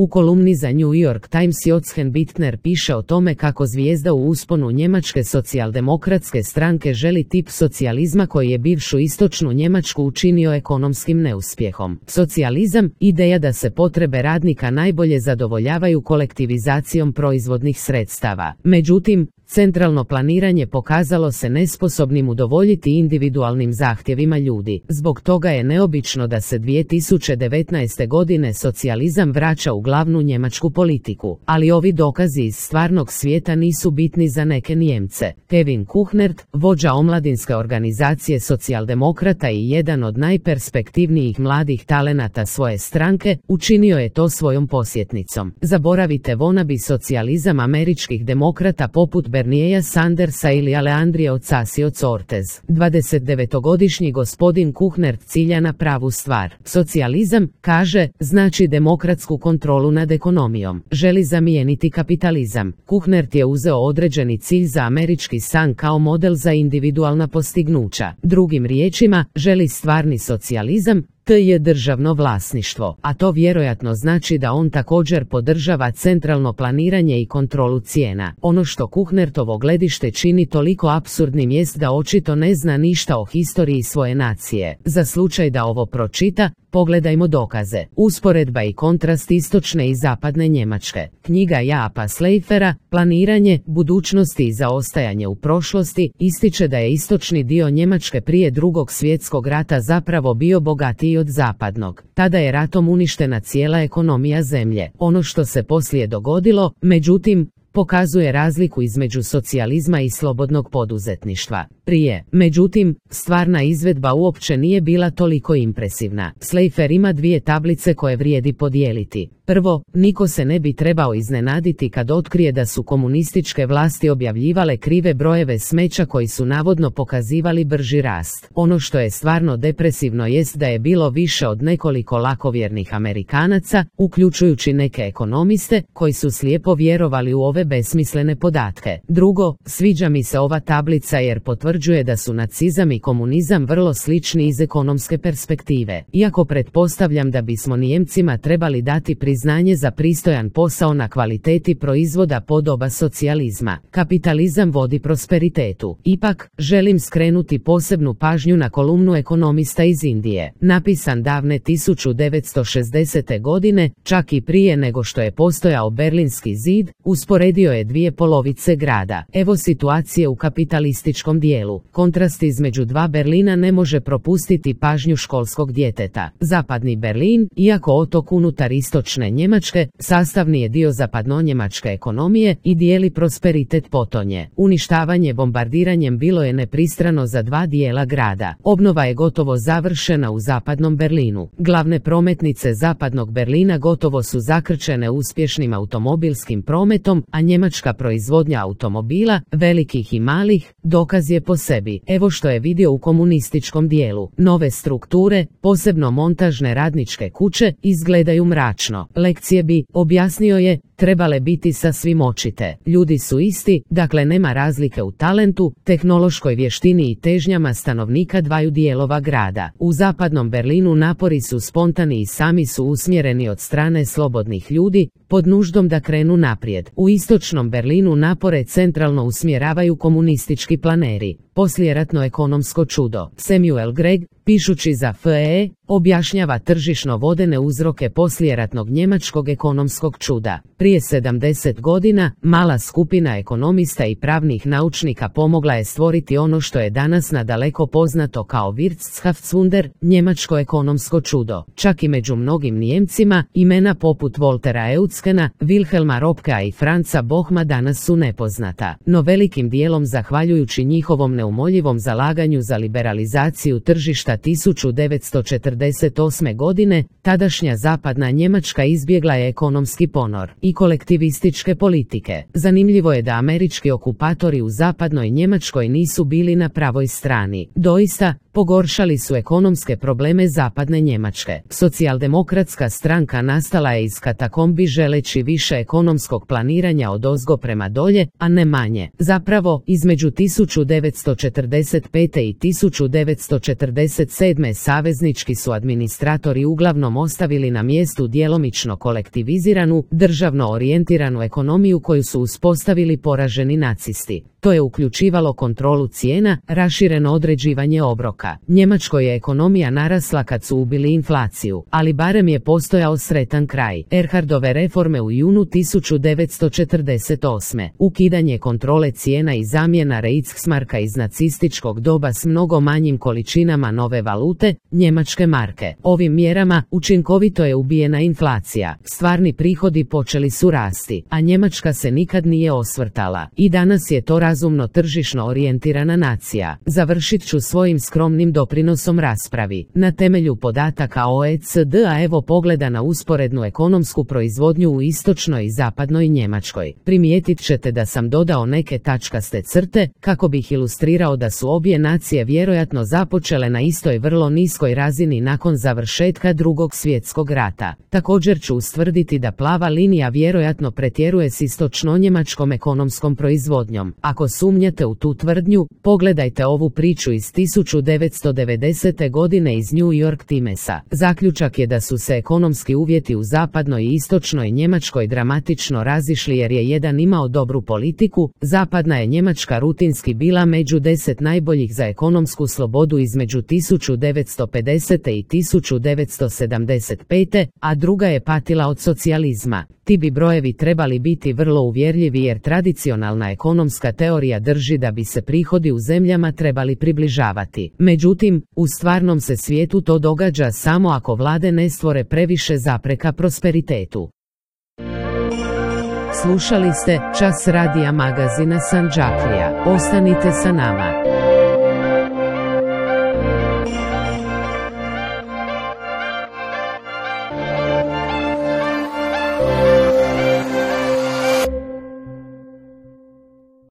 U kolumni za New York Times Jochen Bittner piše o tome kako zvijezda u usponu njemačke socijaldemokratske stranke želi tip socijalizma koji je bivšu istočnu Njemačku učinio ekonomskim neuspjehom. Socijalizam, ideja da se potrebe radnika najbolje zadovoljavaju kolektivizacijom proizvodnih sredstava. Međutim, centralno planiranje pokazalo se nesposobnim udovoljiti individualnim zahtjevima ljudi. Zbog toga je neobično da se 2019. godine socijalizam vraća u glavnu njemačku politiku. Ali ovi dokazi iz stvarnog svijeta nisu bitni za neke Nijemce. Kevin Kuhnert, vođa omladinske organizacije socijaldemokrata i jedan od najperspektivnijih mladih talenata svoje stranke, učinio je to svojom posjetnicom. Zaboravite vonabi socijalizam američkih demokrata poput Bernieja Sandersa ili Alejandrije Ocasio-Cortez. 29-godišnji gospodin Kuhnert cilja na pravu stvar. Socijalizam, kaže, znači demokratsku kontrolu nad ekonomijom. Želi zamijeniti kapitalizam. Kuhnert je uzeo određeni cilj za američki san kao model za individualna postignuća. Drugim riječima, želi stvarni socijalizam, to je državno vlasništvo, a to vjerojatno znači da on također podržava centralno planiranje i kontrolu cijena. Ono što Kuhnertovo gledište čini toliko apsurdnim jest da očito ne zna ništa o historiji svoje nacije. Za slučaj da ovo pročita, pogledajmo dokaze. Usporedba i kontrast istočne i zapadne Njemačke. Knjiga Japa Sleifera, Planiranje, budućnosti i zaostajanje u prošlosti, ističe da je istočni dio Njemačke prije Drugog svjetskog rata zapravo bio bogatiji od zapadnog. Tada je ratom uništena cijela ekonomija zemlje. Ono što se poslije dogodilo, međutim, pokazuje razliku između socijalizma i slobodnog poduzetništva. Prije, međutim, stvarna izvedba uopće nije bila toliko impresivna. Sleifer ima dvije tablice koje vrijedi podijeliti. Prvo, niko se ne bi trebao iznenaditi kad otkrije da su komunističke vlasti objavljivale krive brojeve smeća koji su navodno pokazivali brži rast. Ono što je stvarno depresivno jest da je bilo više od nekoliko lakovjernih Amerikanaca, uključujući neke ekonomiste, koji su slijepo vjerovali u ove besmislene podatke. Drugo, sviđa mi se ova tablica jer potvrđuje da su nacizam i komunizam vrlo slični iz ekonomske perspektive. Iako pretpostavljam da bismo Nijemcima trebali dati priznanje za pristojan posao na kvaliteti proizvoda podoba socijalizma. Kapitalizam vodi prosperitetu. Ipak, želim skrenuti posebnu pažnju na kolumnu ekonomista iz Indije. Napisan davne 1960. godine, čak i prije nego što je postojao Berlinski zid, usporedio je dvije polovice grada. Evo situacije u kapitalističkom dijelu. Kontrast između dva Berlina ne može propustiti pažnju školskog djeteta. Zapadni Berlin, iako otok unutar istočne Njemačke, sastavni je dio zapadnonjemačke ekonomije i dijeli prosperitet potonje. Uništavanje bombardiranjem bilo je nepristrano za dva dijela grada. Obnova je gotovo završena u zapadnom Berlinu. Glavne prometnice zapadnog Berlina gotovo su zakrčene uspješnim automobilskim prometom, a njemačka proizvodnja automobila, velikih i malih, dokaz je po sebi. Evo što je vidio u komunističkom dijelu. Nove strukture, posebno montažne radničke kuće, izgledaju mračno. Lekcije bi, objasnio je, trebale biti sasvim očite. Ljudi su isti, dakle nema razlike u talentu, tehnološkoj vještini i težnjama stanovnika dvaju dijelova grada. U zapadnom Berlinu napori su spontani i sami su usmjereni od strane slobodnih ljudi, pod nuždom da krenu naprijed. U istočnom Berlinu napore centralno usmjeravaju komunistički planeri. Poslijeratno ekonomsko čudo. Samuel Gregg, pišući za FE, objašnjava tržišno vodene uzroke poslijeratnog njemačkog ekonomskog čuda. Prije 70 godina, mala skupina ekonomista i pravnih naučnika pomogla je stvoriti ono što je danas nadaleko poznato kao Wirtschaftswunder, njemačko ekonomsko čudo. Čak i među mnogim Nijemcima, imena poput Voltera Euckena, Wilhelma Röpkea i Franza Bohma danas su nepoznata. No velikim dijelom zahvaljujući njihovom neumoljivom zalaganju za liberalizaciju tržišta 1948. godine, tadašnja zapadna Njemačka izbjegla je ekonomski ponor i kolektivističke politike. Zanimljivo je da američki okupatori u zapadnoj Njemačkoj nisu bili na pravoj strani. Doista, pogoršali su ekonomske probleme zapadne Njemačke. Socijaldemokratska stranka nastala je iz katakombi želeći više ekonomskog planiranja odozgo prema dolje, a ne manje. Zapravo, između 1945. i 1947. saveznički su administratori uglavnom ostavili na mjestu djelomično kolektiviziranu, državno orijentiranu ekonomiju koju su uspostavili poraženi nacisti. To je uključivalo kontrolu cijena, rašireno određivanje obroka. Njemačkoj je ekonomija narasla kad su ubili inflaciju, ali barem je postojao sretan kraj. Erhardove reforme u junu 1948. Ukidanje kontrole cijena i zamjena Reichsmarka iz nacističkog doba s mnogo manjim količinama nove valute, njemačke marke. Ovim mjerama učinkovito je ubijena inflacija. Stvarni prihodi počeli su rasti, a Njemačka se nikad nije osvrtala. I danas je to razumno tržišno orijentirana nacija. Završit ću svojim skromnim doprinosom raspravi. Na temelju podataka OECD-a evo pogleda na usporednu ekonomsku proizvodnju u istočnoj i zapadnoj Njemačkoj. Primijetit ćete da sam dodao neke tačkaste crte, kako bih ilustrirao da su obje nacije vjerojatno započele na istoj vrlo niskoj razini nakon završetka Drugog svjetskog rata. Također ću ustvrditi da plava linija vjerojatno pretjeruje s istočno-njemačkom ekonomskom proizvodnjom. Ako sumnjate u tu tvrdnju, pogledajte ovu priču iz 1990. godine iz New York Timesa. Zaključak je da su se ekonomski uvjeti u zapadnoj i istočnoj Njemačkoj dramatično razišli jer je jedan imao dobru politiku, zapadna je Njemačka rutinski bila među 10 najboljih za ekonomsku slobodu između 1950. i 1975., a druga je patila od socijalizma. Ti bi brojevi trebali biti vrlo uvjerljivi jer tradicionalna ekonomska teorija drži da bi se prihodi u zemljama trebali približavati. Međutim, u stvarnom se svijetu to događa samo ako vlade ne stvore previše zapreka prosperitetu. Slušali ste Čas radija magazina Sandžaklija. Ostanite sa nama.